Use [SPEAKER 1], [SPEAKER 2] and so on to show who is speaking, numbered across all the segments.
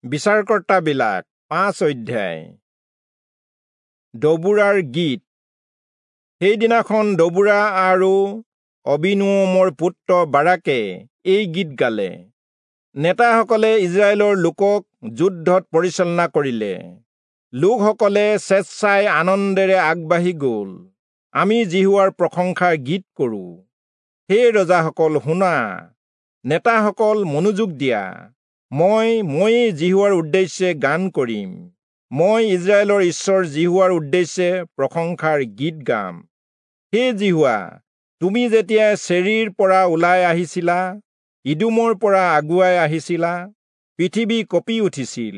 [SPEAKER 1] বিচাৰকৰ্তাবিলাক 5 অধ্যায়। দবোৰাৰ গীত। সেইদিনাখন দবোৰা আৰু অবীনোৱমৰ পুত্ৰ বাৰাকে এই গীত গালে। নেতাসকলে ইজৰাইলৰ লোকক যুদ্ধত পৰিচালনা কৰিলে। লোকসকলে স্বেচ্ছাই আনন্দেৰে আগবাঢ়ি গ'ল। আমি যিহোৱাৰ প্ৰশংসাৰ গীত কৰোঁ। হে ৰজাসকল শুনা, নেতাসকল মনোযোগ দিয়া। ময়েই যিহোৱাৰ উদ্দেশ্যে গান কৰিম। মই ইজৰাইলৰ ঈশ্বৰ যিহোৱাৰ উদ্দেশ্যে প্ৰশংসাৰ গীত গাম। হে যিহোৱা, তুমি যেতিয়া চেৰীৰ পৰা ওলাই আহিছিলা, ইদোমৰ পৰা আগুৱাই আহিছিলা, পৃথিৱী কঁপি উঠিছিল,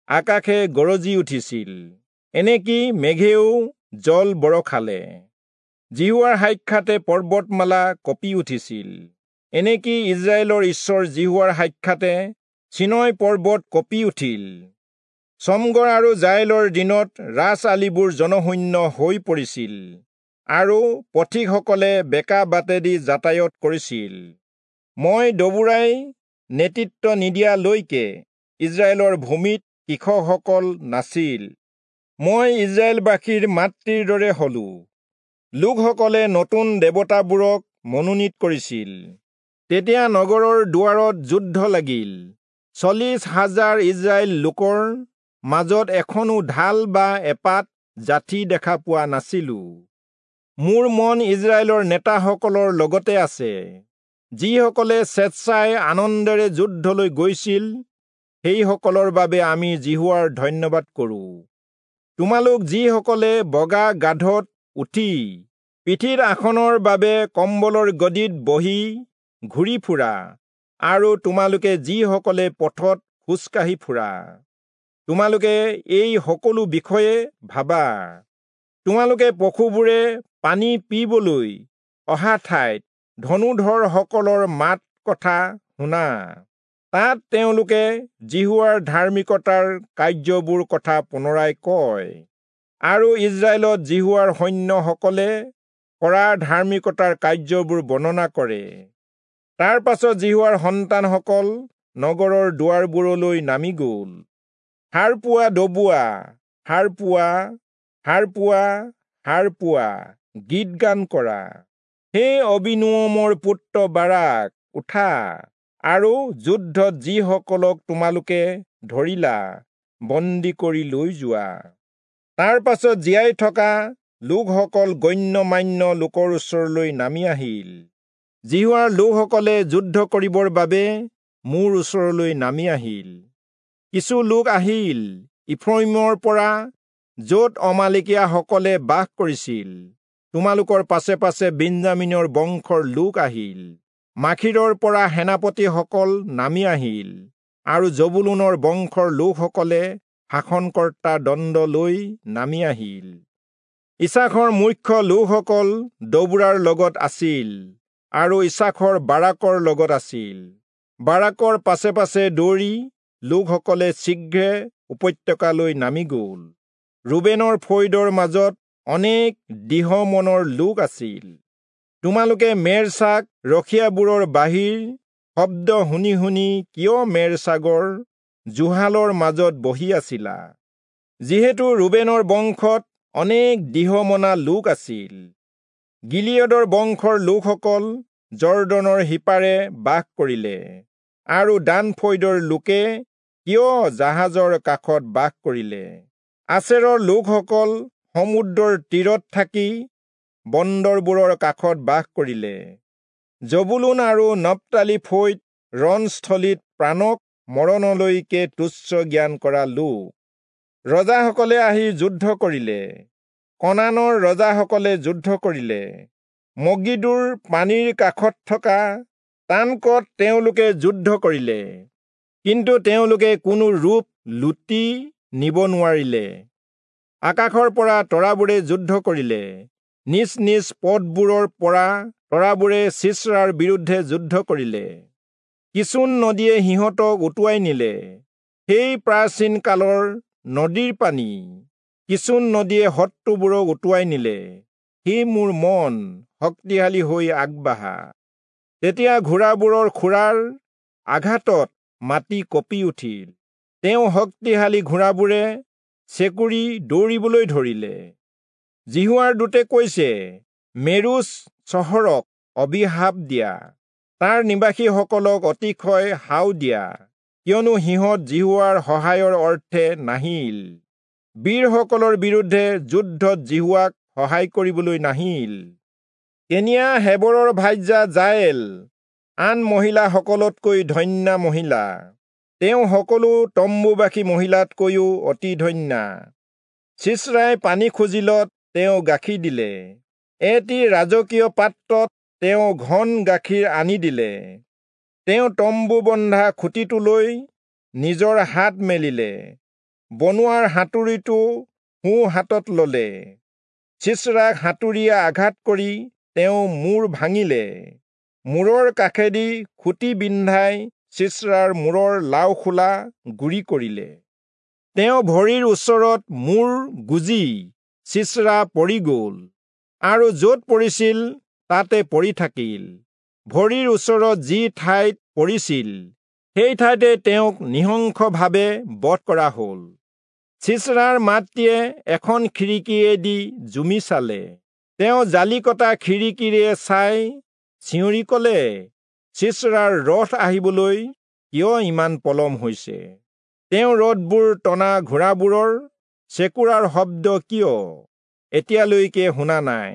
[SPEAKER 1] আকাশে গৰজি উঠিছিল, এনেকি মেঘেও জল বৰষালে। যিহোৱাৰ সাক্ষাতে পৰ্বতমালা কঁপি উঠিছিল, এনেকি ইজৰাইলৰ ঈশ্বৰ যিহোৱাৰ সাক্ষাতে চিনয় পৰ্বত কঁপি উঠিল। চমগৰ আৰু জায়েলৰ দিনত ৰাজআলিবোৰ জনশূন্য হৈ পৰিছিল আৰু পথিকসকলে বেকা বাটেদি যাতায়ত কৰিছিল। মই দবোৰাই নেতৃত্ব নিদিয়ালৈকে ইজৰাইলৰ ভূমিত কৃষকসকল নাছিল। মই ইজৰাইলবাসীৰ মাতৃৰ দৰে হলো। লোকসকলে নতুন দেৱতাবোৰক মনোনীত কৰিছিল। তেতিয়া নগৰৰ দুৱাৰত যুদ্ধ লাগিল। 40,000 ইজৰাইল লোকৰ মাজত এখনো ঢাল বা এপাত যাঠি দেখা পোৱা নাছিলো। মোৰ মন ইজৰাইলৰ নেতাসকলৰ লগতে আছে। যিসকলে স্বেচ্ছাই আনন্দেৰে যুদ্ধলৈ গৈছিল, সেইসকলৰ বাবে আমি যিহোৱাৰ ধন্যবাদ কৰোঁ। তোমালোক যিসকলে বগা গাধত উঠি পিঠিৰ আসনৰ বাবে কম্বলৰ গদিত বহি ঘূৰি ফুৰা, আৰু তোমালোকে যিসকলে পথত খোজকাঢ়ি ফুৰা, তোমালোকে এই সকলো বিষয়ে ভাবা। তোমালোকে পশুবোৰে পানী পিবলৈ অহা ঠাইত ধনুধৰসকলৰ মাত কথা শুনা। তাত তেওঁলোকে যিহোৱাৰ ধাৰ্মিকতাৰ কাৰ্যবোৰ কথা পুনৰাই কয়, আৰু ইজৰাইলত যিহোৱাৰ সৈন্যসকলে কৰা ধাৰ্মিকতাৰ কাৰ্যবোৰ বৰ্ণনা কৰে। তাৰ পাছত যিহোৱাৰ সন্তানসকল নগৰৰ দুৱাৰবোৰলৈ নামি গ'ল। সাৰ পোৱা দবোৱা, সাৰ পোৱা, সাৰ পোৱা, সাৰ পোৱা, গীত গান কৰা। হে অবীনোৱমৰ পুত্ৰ বাৰাক, উঠা, আৰু যুদ্ধত যিসকলক তোমালোকে ধৰিলা বন্দী কৰি লৈ যোৱা। তাৰ পাছত জীয়াই থকা লোকসকল গণ্যমান্য লোকৰ ওচৰলৈ নামি আহিল। যিহোৱাৰ লোকসকলে যুদ্ধ কৰিবৰ বাবে মোৰ ওচৰলৈ নামি আহিল। কিছু লোক আহিল ইফ্ৰয়িমৰ পৰা, য'ত অমালেকীয়াসকলে বাস কৰিছিল। তোমালোকৰ পাছে পাছে বিন্যামীনৰ বংশৰ লোক আহিল। মাখীৰৰ পৰা সেনাপতিসকল নামি আহিল, আৰু জবুলূনৰ বংশৰ লোকসকলে শাসনকৰ্তা দণ্ড লৈ নামি আহিল। ইচাখৰ মুখ্য লোকসকল দবোৰাৰ লগত আছিল, আৰু ইচাখৰ বাৰাকৰ লগত আছিল। বাৰাকৰ পাছে পাছে দৌৰি লোকসকলে শীঘ্ৰে উপত্যকালৈ নামি গ'ল। ৰুবেনৰ ফৈদৰ মাজত অনেক দৃঢ় মনৰ লোক আছিল। তোমালোকে মেৰছাগ ৰখীয়াবোৰৰ বাহিৰ শব্দ শুনি শুনি কিয় মেৰছাগৰ জুহালৰ মাজত বহি আছিলা? যিহেতু ৰুবেনৰ বংশত অনেক দৃঢ়মনা লোক আছিল। গিলিয়দৰ বংশৰ লোকসকল জৰ্দনৰ সিপাৰে বাস কৰিলে, আৰু দান ফৈদৰ লোকে কিয় জাহাজৰ কাষত বাস কৰিলে? আচেৰৰ লোকসকল সমুদ্ৰৰ তীৰত থাকি বন্দৰবোৰৰ কাষত বাস কৰিলে। জবুলূন আৰু নপ্তালী ফৈদ ৰণস্থলীত প্ৰাণক মৰণলৈকে তুচ্ছ জ্ঞান কৰা লোক। ৰজাসকলে আহি যুদ্ধ কৰিলে, কনানৰ ৰজাসকলে যুদ্ধ কৰিলে। মগিদোৰ পানীৰ কাষত থকা তানকত তেওঁলোকে যুদ্ধ কৰিলে, কিন্তু তেওঁলোকে কোনো ৰূপ লুটি নিব নোৱাৰিলে। আকাশৰ পৰা তৰাবোৰে যুদ্ধ কৰিলে, নিজ নিজ পথবোৰৰ পৰা তৰাবোৰে চিচৰাৰ বিৰুদ্ধে যুদ্ধ কৰিলে। কিচোন নদীয়ে সিহঁতক উটুৱাই নিলে, সেই প্ৰাচীন কালৰ নদীৰ পানী। কিচোন নদীয়ে শত্ৰুবোৰক উটুৱাই নিলে। হে মোৰ মন, শক্তিশালী হৈ আগবাঢ়া। তেতিয়া ঘোঁৰাবোৰৰ খুৰাৰ আঘাতত মাটি কঁপি উঠিল। তেওঁ শক্তিশালী ঘোঁৰাবোৰে চেকুৰি দৌৰিবলৈ ধৰিলে। যিহোৱাৰ দূতে কৈছে, মেৰোচ চহৰক অভিশাপ দিয়া, তাৰ নিবাসীসকলক অতিশয় শাও দিয়া, কিয়নো সিহঁত যিহোৱাৰ সহায়ৰ অৰ্থে নাহিল, বীৰসকলৰ বিৰুদ্ধে যুদ্ধত যিহোৱাক সহায় কৰিবলৈ নাহিল। কেনিয়া হেবৰৰ ভাৰ্যা জায়েল আন মহিলাসকলতকৈ ধন্যা মহিলা, তেওঁ সকলো তম্বুবাসী মহিলাতকৈও অতি ধন্যা। চিচৰাই পানী খুজিলত তেওঁ গাখীৰ দিলে, এটি ৰাজকীয় পাত্ৰত তেওঁ ঘন গাখীৰ আনি দিলে। তেওঁ তম্বু বন্ধা খুঁটিটোলৈ নিজৰ হাত মেলিলে, বনোৱাৰ হাতুৰীটো সোঁ হাতত ললে। চিচৰাক হাতুৰীয়ে আঘাত কৰি তেওঁ মূৰ ভাঙিলে, মূৰৰ কাষেদি খুঁটি বিন্ধাই চিচৰাৰ মূৰৰ লাওখোলা গুৰি কৰিলে। তেওঁ ভৰিৰ ওচৰত মূৰ গুজি চিচৰা পৰি গ'ল, আৰু য'ত পৰিছিল তাতে পৰি থাকিল। ভৰিৰ ওচৰত যি ঠাইত পৰিছিল সেই ঠাইতে তেওঁক নিঃশংসভাৱে বধ কৰা হ'ল। চিচৰাৰ মাতৃয়ে এখন খিৰিকীয়েদি জুমি চালে, তেওঁ জালি কটা খিৰিকীৰে চাই চিঞৰি ক'লে, চিচৰাৰ ৰথ আহিবলৈ কিয় ইমান পলম হৈছে? তেওঁ ৰথবোৰ টনা ঘোঁৰাবোৰৰ চেকুৰাৰ শব্দ কিয় এতিয়ালৈকে শুনা নাই?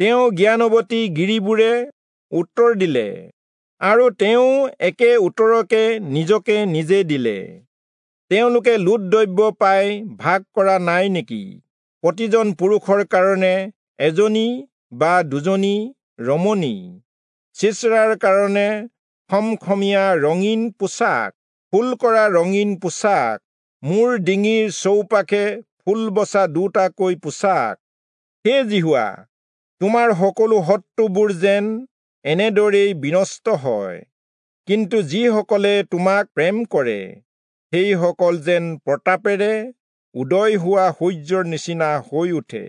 [SPEAKER 1] তেওঁ জ্ঞানৱতী গিৰিবোৰে উত্তৰ দিলে, আৰু তেওঁ একে উত্তৰকে নিজকে নিজে দিলে। তেওঁলোকে লুট দ্ৰব্য পাই ভাগ কৰা নাই নেকি? প্ৰতিজন পুৰুষৰ কাৰণে এজনী বা দুজনী ৰমণী, চিচৰাৰ কাৰণে খমখমীয়া ৰঙীন পোছাক, ফুল কৰা ৰঙীন পোছাক, মোৰ ডিঙিৰ চৌপাশে ফুল বচা দুটাকৈ পোছাক। হে যিহোৱা, তোমাৰ সকলো শত্ৰুবোৰ যেন এনেদৰেই বিনষ্ট হয়, কিন্তু যিসকলে তোমাক প্ৰেম কৰে সেইসকল যেন প্ৰতাপেৰে উদয় হোৱা সূৰ্যৰ নিচিনা হৈ উঠে।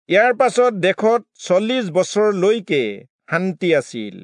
[SPEAKER 1] ইয়াৰ পাছত দেশত 40 বছৰলৈকে শান্তি আছিল।